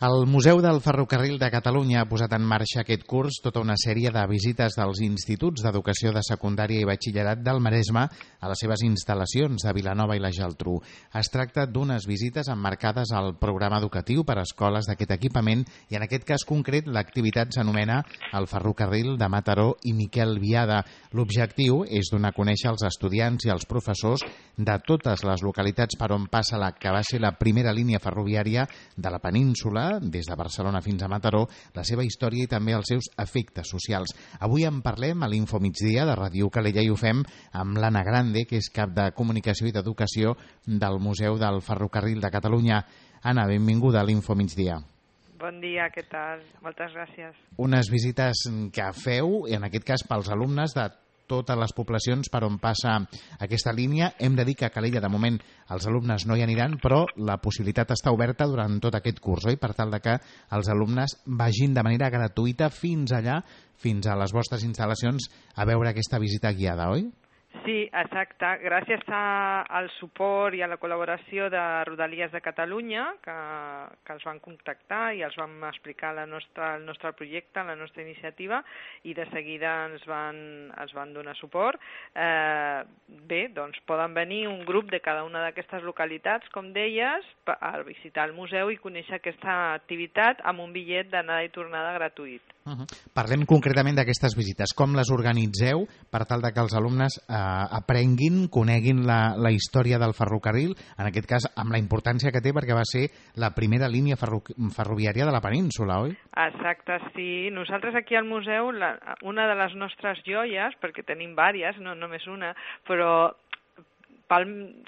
El Museu del Ferrocarril de Catalunya ha posat en marxa aquest curs tota una sèrie de visites dels instituts d'educació de secundària i batxillerat del Maresme a les seves instal·lacions de Vilanova i la Geltrú. Es tracta d'unes visites emmarcades al programa educatiu per a escoles d'aquest equipament i en aquest cas concret l'activitat s'anomena el Ferrocarril de Mataró i Miquel Biada. L'objectiu és donar a conèixer als estudiants i als professors de totes les localitats per on passa la que va ser la primera línia ferroviària de la península, des de Barcelona fins a Mataró, la seva història i també els seus efectes socials. Avui en parlem a l'Info Migdia de Ràdio Calella i ho fem amb l'Anna Grande, que és cap de Comunicació i d'Educació del Museu del Ferrocarril de Catalunya. Anna, benvinguda a l'Info Migdia. Bon dia, què tal? Moltes gràcies. Unes visites que feu, en aquest cas pels alumnes de totes les poblacions per on passa aquesta línia. Hem de dir que a Calella, de moment, els alumnes no hi aniran, però la possibilitat està oberta durant tot aquest curs, oi? Per tal de que els alumnes vagin de manera gratuïta fins allà, fins a les vostres instal·lacions, a veure aquesta visita guiada, oi? Sí, exacte. Gràcies al suport i a la col·laboració de Rodalies de Catalunya, que els van contactar i els vam explicar el nostre projecte, la nostra iniciativa, i de seguida ens van donar suport. Bé, doncs poden venir un grup de cada una d'aquestes localitats, com deies, a visitar el museu i conèixer aquesta activitat amb un bitllet d'anada i tornada gratuït. Parlem concretament d'aquestes visites. Com les organitzeu per tal de que els alumnes aprenguin, coneguin la història del ferrocarril, en aquest cas amb la importància que té perquè va ser la primera línia ferroviària de la península, oi? Exacte, sí. Nosaltres aquí al museu, una de les nostres joies, perquè tenim diverses, no només una, però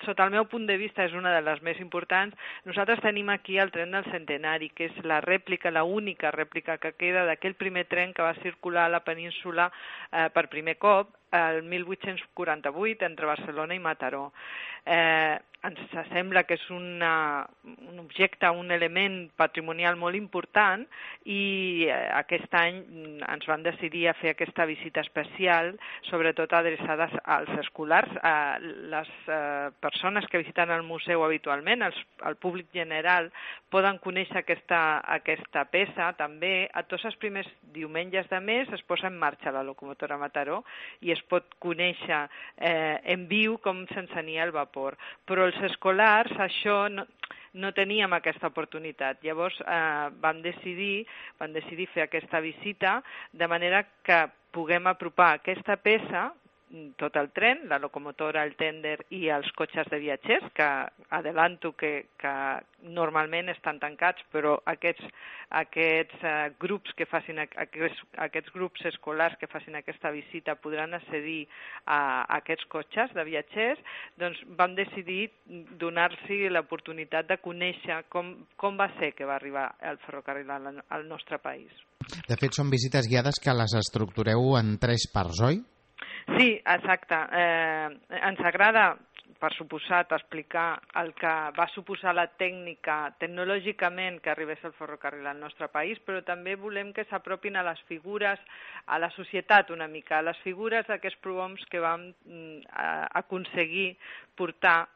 sota el meu punt de vista és una de les més importants. Nosaltres tenim aquí el tren del centenari, que és la rèplica, la única rèplica que queda d'aquell primer tren que va circular a la península per primer cop el 1848 entre Barcelona i Mataró. Ens sembla que és un objecte, un element patrimonial molt important i aquest any ens van decidir a fer aquesta visita especial, sobretot adreçades als escolars, a les persones que visiten el museu habitualment, el públic general, poden conèixer aquesta peça. També a tots els primers diumenges de mes es posa en marxa la locomotora Mataró i es pot conèixer en viu com s'encenia el vapor. Però els escolars això no teníem aquesta oportunitat. Llavors vam decidir fer aquesta visita de manera que puguem apropar aquesta peça, tot el tren, la locomotora, el tènder i els cotxes de viatgers, que adelanto que normalment estan tancats, però aquests grups que facin aquests grups escolars que facin aquesta visita podran accedir a aquests cotxes de viatgers. Doncs vam decidir donar-los l'oportunitat de conèixer com va ser que va arribar el ferrocarril al nostre país. De fet, són visites guiades que les estructureu en 3 parts, oi? Sí, exacte. Ens agrada, per suposat, explicar el que va suposar la tècnica tecnològicament que arribés el ferrocarril al nostre país, però també volem que s'apropin a les figures, a la societat una mica, a les figures d'aquests prohoms que vam aconseguir portar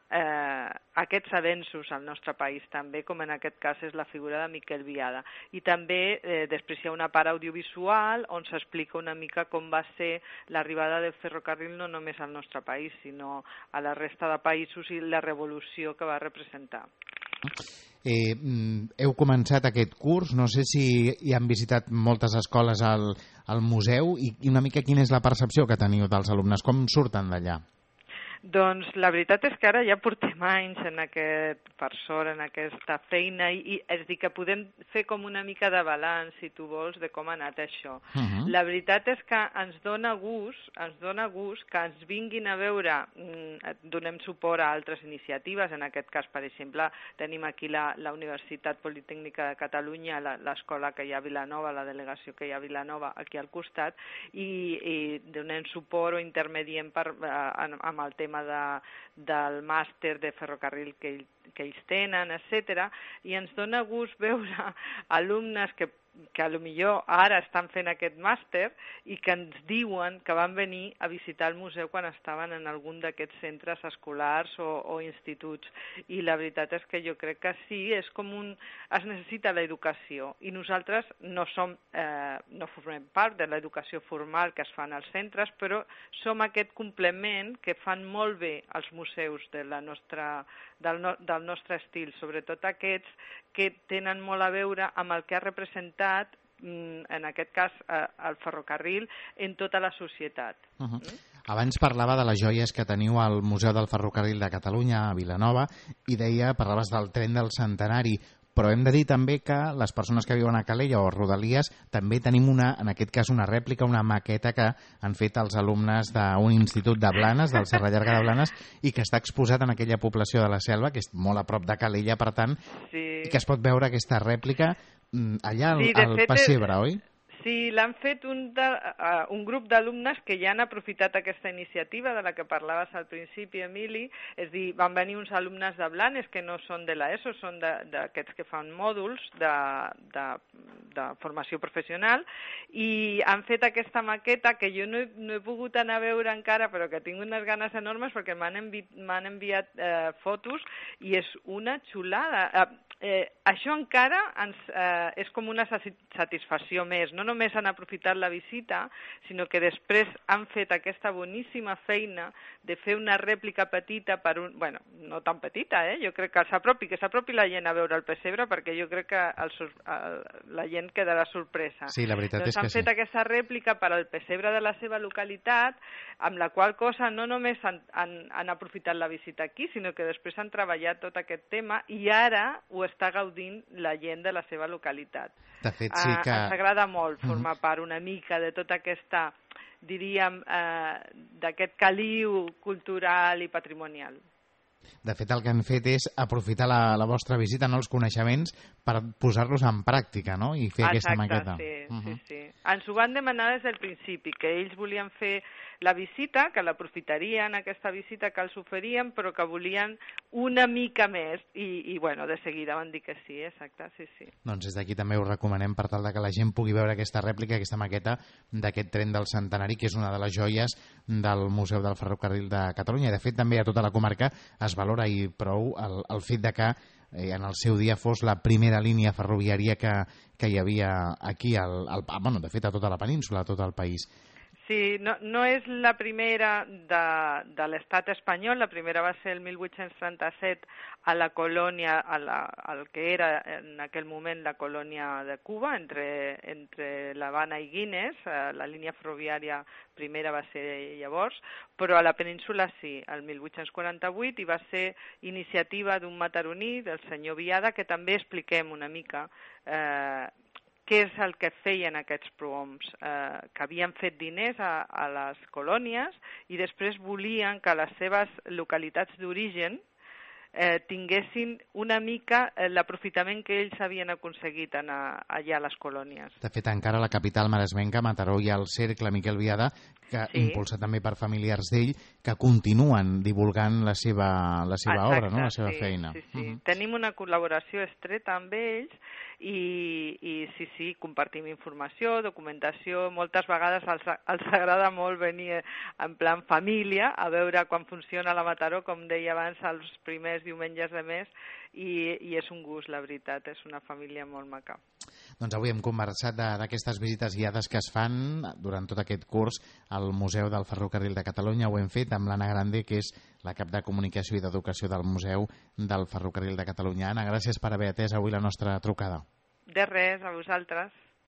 aquests avenços al nostre país també, com en aquest cas és la figura de Miquel Biada. I també després hi ha una part audiovisual on s'explica una mica com va ser l'arribada del ferrocarril no només al nostre país, sinó a la resta de països i la revolució que va representar. Heu començat aquest curs, no sé si hi han visitat moltes escoles al museu i una mica quina és la percepció que teniu dels alumnes, com surten d'allà? Doncs la veritat és que ara ja portem anys per sort, en aquesta feina, i és dir, que podem fer com una mica de balanç, si tu vols, de com ha anat això. La veritat és que ens dona gust que ens vinguin a veure, donem suport a altres iniciatives, en aquest cas, per exemple, tenim aquí la Universitat Politècnica de Catalunya, l'escola que hi ha a Vilanova, la delegació que hi ha a Vilanova, aquí al costat, i donem suport o intermediem amb el tema del màster de ferrocarril que ells tenen, etc. I ens dona gust veure alumnes que que potser ara estan fent aquest màster i que ens diuen que van venir a visitar el museu quan estaven en algun d'aquests centres escolars o instituts. I la veritat és que jo crec que sí, és com es necessita l'educació i nosaltres no formem part de l'educació formal que es fa als centres, però som aquest complement que fan molt bé els museus del nostre estil, sobretot aquests que tenen molt a veure amb el que ha representat, en aquest cas, el ferrocarril en tota la societat. Abans parlava de les joies que teniu al Museu del Ferrocarril de Catalunya, a Vilanova, i parlaves del tren del centenari, però hem de dir també que les persones que viuen a Calella o a Rodalies també tenim en aquest cas una rèplica, una maqueta que han fet els alumnes d'un institut de Blanes, del Serra Llarga de Blanes, i que està exposat en aquella població de la Selva, que és molt a prop de Calella, per tant, i que es pot veure aquesta rèplica allà al Pessebre, oi? Sí, l'han fet un grup d'alumnes que ja han aprofitat aquesta iniciativa de la que parlaves al principi, Emili, és a dir, van venir uns alumnes de Blanes que no són de l'ESO, són d'aquests que fan mòduls de formació professional i han fet aquesta maqueta que jo no he pogut anar a veure encara, però que tinc unes ganes enormes perquè m'han enviat fotos i és una xulada. Això encara és com una satisfacció més. No només han aprofitat la visita, sinó que després han fet aquesta boníssima feina de fer una rèplica petita bueno, no tan petita, jo crec que s'apropi la gent a veure el pessebre, perquè jo crec que la gent quedarà sorpresa. Sí, la veritat és que sí. Han fet aquesta rèplica per al pessebre de la seva localitat, amb la qual cosa no només han aprofitat la visita aquí, sinó que després han treballat tot aquest tema i ara ho està gaudint la gent de la seva localitat. De fet, sí que... Ens agrada molt formar part una mica de tota aquesta, diríem, d'aquest caliu cultural i patrimonial. De fet, el que han fet és aprofitar la vostra visita, els coneixements, per posar-los en pràctica, no? I fer aquesta maqueta. Exacte, sí. Ens ho van demanar des del principi, que ells volien fer la visita, que l'aprofitarien, aquesta visita que els oferien, però que volien una mica més. I bueno, de seguida van dir que sí, exacte, sí. Doncs des d'aquí també ho recomanem per tal que la gent pugui veure aquesta rèplica, aquesta maqueta d'aquest tren del centenari, que és una de les joies del Museu del Ferrocarril de Catalunya. I de fet també a tota la comarca es valora i prou el fet de que en el seu dia fos la primera línia ferroviària que hi havia aquí, de fet a tota la península, a tot el país. Sí, no és la primera de l'estat espanyol, la primera va ser el 1837 a la colònia, al que era en aquell moment la colònia de Cuba, entre l'Havana i Guinness, la línia ferroviària primera va ser llavors, però a la península sí, el 1848, i va ser iniciativa d'un mataroní, del senyor Viada, que també expliquem una mica què és el que feien aquests prohoms, que havien fet diners a les colònies i després volien que les seves localitats d'origen tinguessin una mica l'aprofitament que ells havien aconseguit allà a les colònies. De fet, encara a la capital maresmenca, Mataró, hi ha el Cercle Miquel Viada, que impulsa també per familiars d'ell, que continuen divulgant la seva obra, no? La seva feina. Sí. Tenim una col·laboració estreta amb ells i sí, compartim informació, documentació. Moltes vegades els agrada molt venir en plan família a veure quan funciona la Mataró, com deia abans, els primers diumenges de mes, i és un gust, la veritat, és una família molt maca. Doncs avui hem conversat d'aquestes visites guiades que es fan durant tot aquest curs al Museu del Ferrocarril de Catalunya. Ho hem fet amb l'Anna Grande, que és la cap de Comunicació i d'Educació del Museu del Ferrocarril de Catalunya. Anna, gràcies per haver atès avui la nostra trucada. De res, a vosaltres.